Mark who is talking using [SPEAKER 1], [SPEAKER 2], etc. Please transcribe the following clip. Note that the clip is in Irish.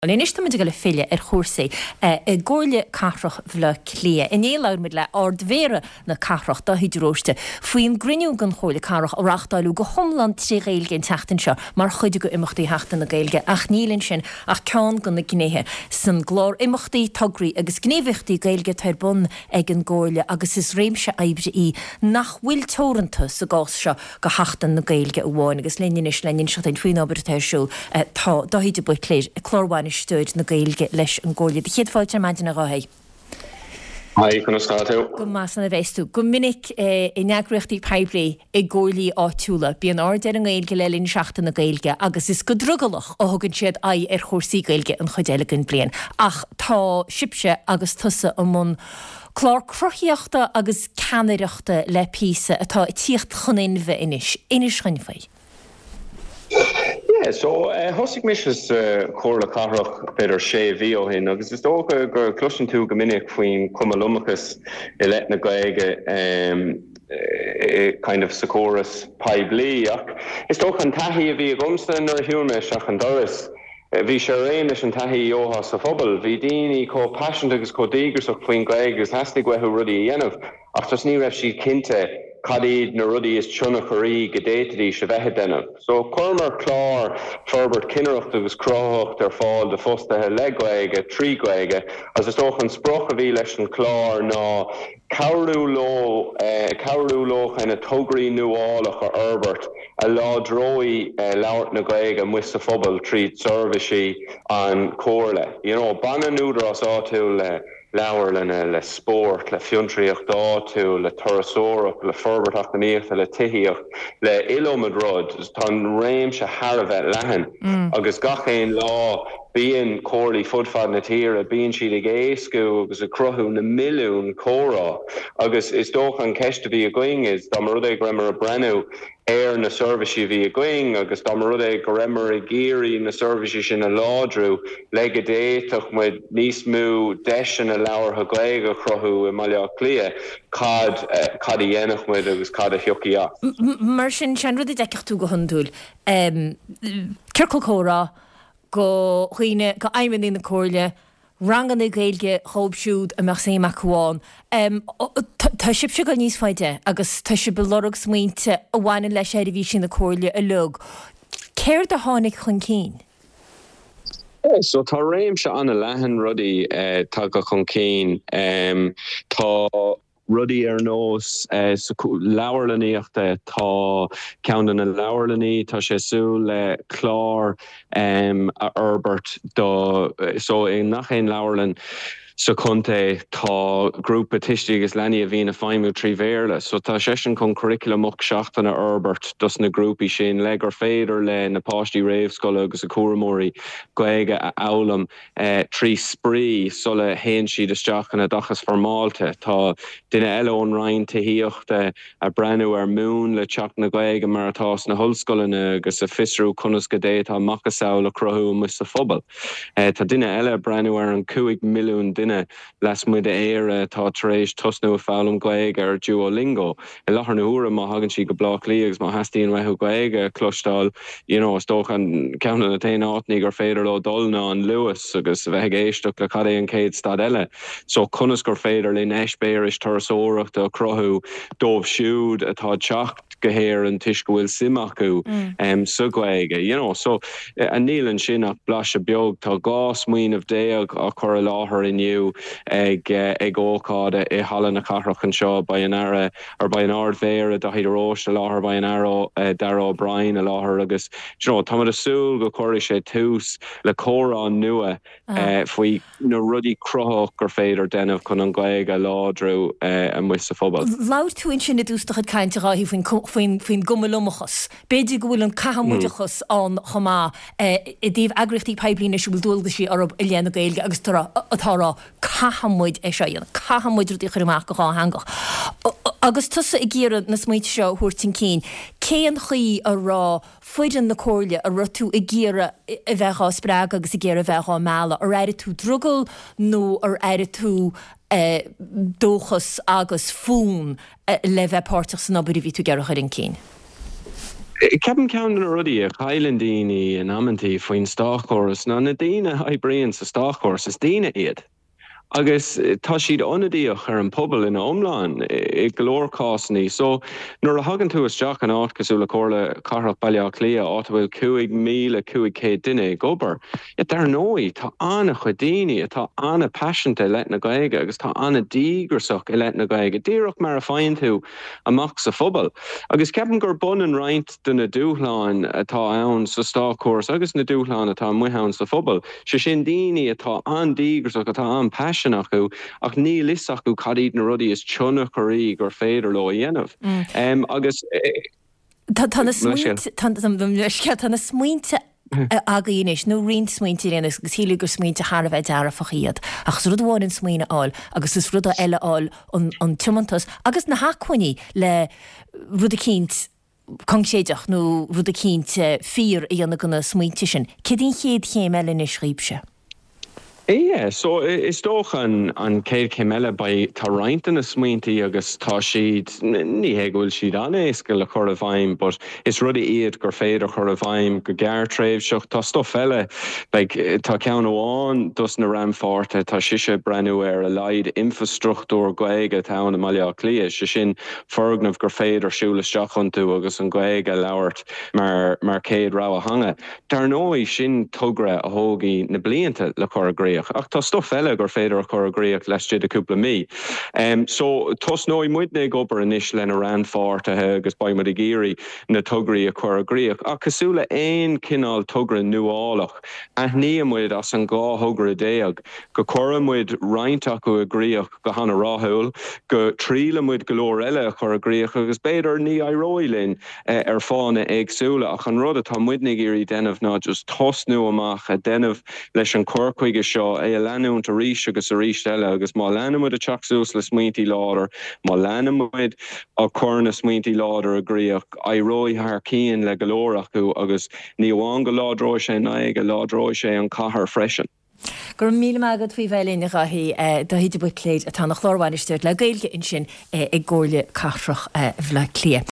[SPEAKER 1] Anois táimid ag dul ag filleadh ar chúrsaí i gComhairle Cathrach Bhaile Átha Cliath. Inné labhair muid le Ard-Mhéara na cathrach, Daithí de Róiste, faoin gcruinniú den Chomhairle Cathrach a reáchtáileadh go hiomlán tré Ghaeilge an tseachtain seo mar chuid de imeachtaí Sheachtain na Gaeilge ach níl ansin ach ceann de na gnéithe san gclár imeachtaí, tograí agus gníomhaíochtaí Gaeilge atá ar bun ag an gComhairle agus is réimse oibre í nach bhfuil teoranta sa gcás seo go Sheachtain na Gaeilge amháin agus linn anois le n-inseacht duinn faoin obair atá ar siúl tá Dáithí de Buitléir, Clárbhainisteoir na Gaeilge leis an gComhairle. Do chéad fáilte ar maidin a Dháithí.
[SPEAKER 2] Haigh, conas tá tú?
[SPEAKER 1] Go maith san a bheas tú. Go minic in eagraíochtaí poiblí i gcomhairlí áitiúla bíonn aird ar an nGaeilge le linn Seachtain na Gaeilge agus is go drogallach a thugann siad aghaidh ar chúrsaí Gaeilge an chuid eile den bhliain. Ach tá sibhse agus tusa i mbun Clár cruthaíochta agus ceannaireachta le píosa atá ag tíocht chun inmhe anois. Inis dhuinn faoi.
[SPEAKER 2] Yeah, so thosaigh mise sa Chomhairle Cathrach b'fhéidir sé mhí ó shin agus is dócha go gcloiseann tú go minic faoin chuma liomachas i leith na Gaeilge kind of sa chóras poiblí ach is dócha an taithí a bhí agamsa nuair a shiúil mé isteach an doras Bhí sé ar aon leis an taithí a gheofá sa phobal. Bhí daoine chomh paiseanta agus chomh díograsach faoin Ghaeilge agus theastaigh uathu rudaí a dhéanamh ach just ní raibh siad cinnte cad iad na rudaí is tioncharaí go d'fhéadfaidís a bheith a déanamh. So chuireamar clár forbairt cinnireachta agus cruthaitheachta ar fáil do fostaithe le Gaeilge, trí Ghaeilge agus is dócha an sprioc a bhí leis an chlár ná cabhrú leo cabhrú leo kind of tograí nuálach a fhorbairt a láidreoidh labhairt na Gaeilge amuigh sa phobal tríd seirbhísí an Chomhairle. You know, baineann údarás áitiúil le leabharlanna, le spórt, le fiontraíocht áitiúil, le turasóireacht, le forbairt eacnamaíochta, le tithíocht, le iliomad rud. Tá an réimse thar a bheith leathan agus gach aon lá Bíonn comhairlí fud fad na tíre, bíonn siad ag éascú agus ag cruthú na milliún comhrá agus is dócha an ceist a bhí againn is dá mba rud é go rabhamar ag breathnú ar na seirbhísí a bhí againn agus dá mba rud é go rabhamar ag iarraidh na seirbhísí sin a láidriú le go d'fhéadfadh muid níos mó deiseanna labhartha Gaeilge a chruthú i mBaile Átha Cliath, cad cad a dhéanfadh muid agus cad a thiocfadh
[SPEAKER 1] as. Mar sin, sé an rud a d'fheicfeadh tú go hiondúil, ciorcal comhrá, go dhaoine, go fheidhmeannaigh na Comhairle, ranganna Gaeilge dhóibh siúd a mbeadh suim acu ann. Tá sibhse ag dul níos faide agus tá sibh ag lorg smaointe a bhaineann le seirbhísí na Comhairle uilig. Céard a tháinig chun cinn?
[SPEAKER 2] So tá réimse an-leathan rudaí tagtha chun cinn. Tá. Rudaí ar nós leabharlannaíochta, tá ceann de na leabharlannaí, tá sé ag súil le clár a fhorbairt do, so i ngach aon leabharlann sa chontae tá grúpa tuistí agus leanaí a bhíonn ag feidhmiú trí Bhéarla. So tá seisean chun curriculum 8 seachtaine a fhorbairt dos na grúpaí sin le gur féidir le na páistí réamhscoile agus a cúramóirí Gaeilge a fhoghlaim. 3 spraoi sula théann siad isteach in oideachas foirmeálta. Tá duine eile ón Roinn Tithíochta ag breathnú ar mhúnla teacht na Gaeilge mar atá sna hollscoileanna agus ag fiosrú conas go d'fhéadfá macasamhail a chruthú amuigh sa phobal. Tá duine eile ag breathnú ar an 5 milliún duine lasmuigh d'Éire atá tar éis tosnú ag foghlaim Gaeilge ar Duolingo. I láthair na huaire, má thagann siad go Bleá Cliath agus má theastaíonn uathu Gaeilge a chloisteáil, you know, is dócha an ceann de na t-aon áiteanna gur féidir leo dul ná an Luas agus a bheith ag éisteacht le cad é an chéad stad eile. So, conas gur féidir linn eispéiris turasóireachta a chruthú dóibh siúd atá ag teacht go hÉirinn toisc go bhfuil suim acu sa Ghaeilge, you know. So, níl ansin ach blaiseadh beag. Tá 12 smaoineamh á chur i láthair inniu ag ag ócáid i Halla na Cathrach anseo. Beidh an Aire, or beidh an Ard-Mhéara, Daithí de Róiste i láthair, beidh an Aire Darragh O'Brien i láthair agus, you know, táimid ag súil go gcuirfidh sé tús le comhrá nua faoi na rudaí cruthaitheach gur féidir déanamh chun an Ghaeilge a láidriú amuigh sa phobal.
[SPEAKER 1] Labhair tú ansin i dtús do chuid cainte, a Dháithí, faoin faoin gcuma liomachas. B'fhéidir go bhfuil an caithfidh-muideachas ann chomh maith i dtaobh eagraíochtaí poiblí anois a bhfuil dualgaisí orthu i leith na Gaeilge agus atá á rá caithfidh muid é seo a dhéanamh, caithfidh muid rudaí a chur amach go dhátheangach. Agus tusa ag iarraidh na smaointe seo a thabhairt chun cinn, cén chaoi a raibh foireann na Comhairle, a raibh tú ag iarraidh a bheith dhá spreagadh agus ag iarraidh a bheith dhá mealladh, ar airigh tú drogall nó ar airigh tú dóchas agus fonn le bheith páirteach san obair a bhí tú ag iarraidh a chur chun cinn?
[SPEAKER 2] Ceapaim ceann de na rudaí a chailleann daoine in amantaí faoin státchóras ná na daoine a oibríonn sa státchóras, is daoine iad. Agus tá siad ionadaíoch ar an pobal ina iomlán i go leor cásanna. So, nuair a thagann tú isteach in áit cosúil le Comhairle Cathrach Baile Átha Cliath, áit a bhfuil 5,500 duine ag obair, yeah, dar ndóigh, tá an-chuid daoine atá an-paiseanta i leith na Gaeilge agus tá an-díograsach i leith na Gaeilge, díreach mar a faigheann tú amach sa phobal. Agus ceapaim gurb ionann roinnt de na dúshláin atá ann sa státchóras agus na dúshláin atá amuigh ann sa phobal. Sé sin, daoine atá an-díograsach, atá an-paisean acu, ach níl fhios acu cad iad na rudaí is tioncharaí gur féidir leo a dhéanamh. Agus.
[SPEAKER 1] Tá na smaointe, tá na smaointe agaibh anois, nó roinnt smaointe ar aon nós, agus shílfeá gur smaointe thar a bheith dearfach iad. Ach is rud amháin an smaoineamh a fháil, agus is rud eile a fháil an tiomantas agus na hacmhainní le rud eicínt coincréideach nó rud eicínt fíor a dhéanamh de na smaointe sin. Céard í an chéad chéim eile anois dhaoibhse?
[SPEAKER 2] Yeah, so is dócha an chéad chéim eile, beidh, tá roinnt de na smaointí agus tá siad, ní hé go bhfuil siad an-éasca le cur i bhfeidhm but is rudaí iad gur féidir chur i bhfeidhm go gearrtréimhseach. Tá stuff eile, like tá ceann amháin dos na rannpháirtithe, tá sise ag breathnú ar a laghad infrastruchtúr Gaeilge atá ann i mBaile Átha Cliath, sé sin foirgnimh gur féidir siúl isteach iontu agus an Ghaeilge a labhairt mar mar chéad rogha theanga. Dar ndóigh, sin togra a thógfaidh na blianta le cur i gcrích, ach tá stuff eile gur féidir a chur i gcrích laistigh de cúpla mí. So, tosnóidh muidne ag obair anois lena rannpháirtithe agus beidh muid ag iarraidh na tograí a chur i gcrích. Ach cosúil le aon chineál togra nuálach, aithníonn muid as an 12 thogra go gcuireann muid roinnt acu i gcrích, go han-rathúil, go dtriaileann muid go leor eile a chur i gcrích agus b'fhéidir ní éireoidh linn ar fáthanna éagsúla ach an rud atá muidne ag iarraidh déanamh ná just tosnú amach a déanamh leis an chur chuige seo, é a leanúint arís agus arís eile agus má leanann muid ag teacht suas le smaointí láidir, má leanann muid ag cur na smaointí láidir i gcrích, éireoidh thar cionn le go leor acu agus ní amháin go láidreoidh sé an Ghaeilge, láidreoidh sé an chathair freisin.
[SPEAKER 1] Go raibh míle maith agat faoi bheith linn, a Dháithí. Dáithí de Buitléir atá ina Chlár-Bhainisteoir le Gaeilge ansin i gComhairle Cathrach Bhaile Átha Cliath.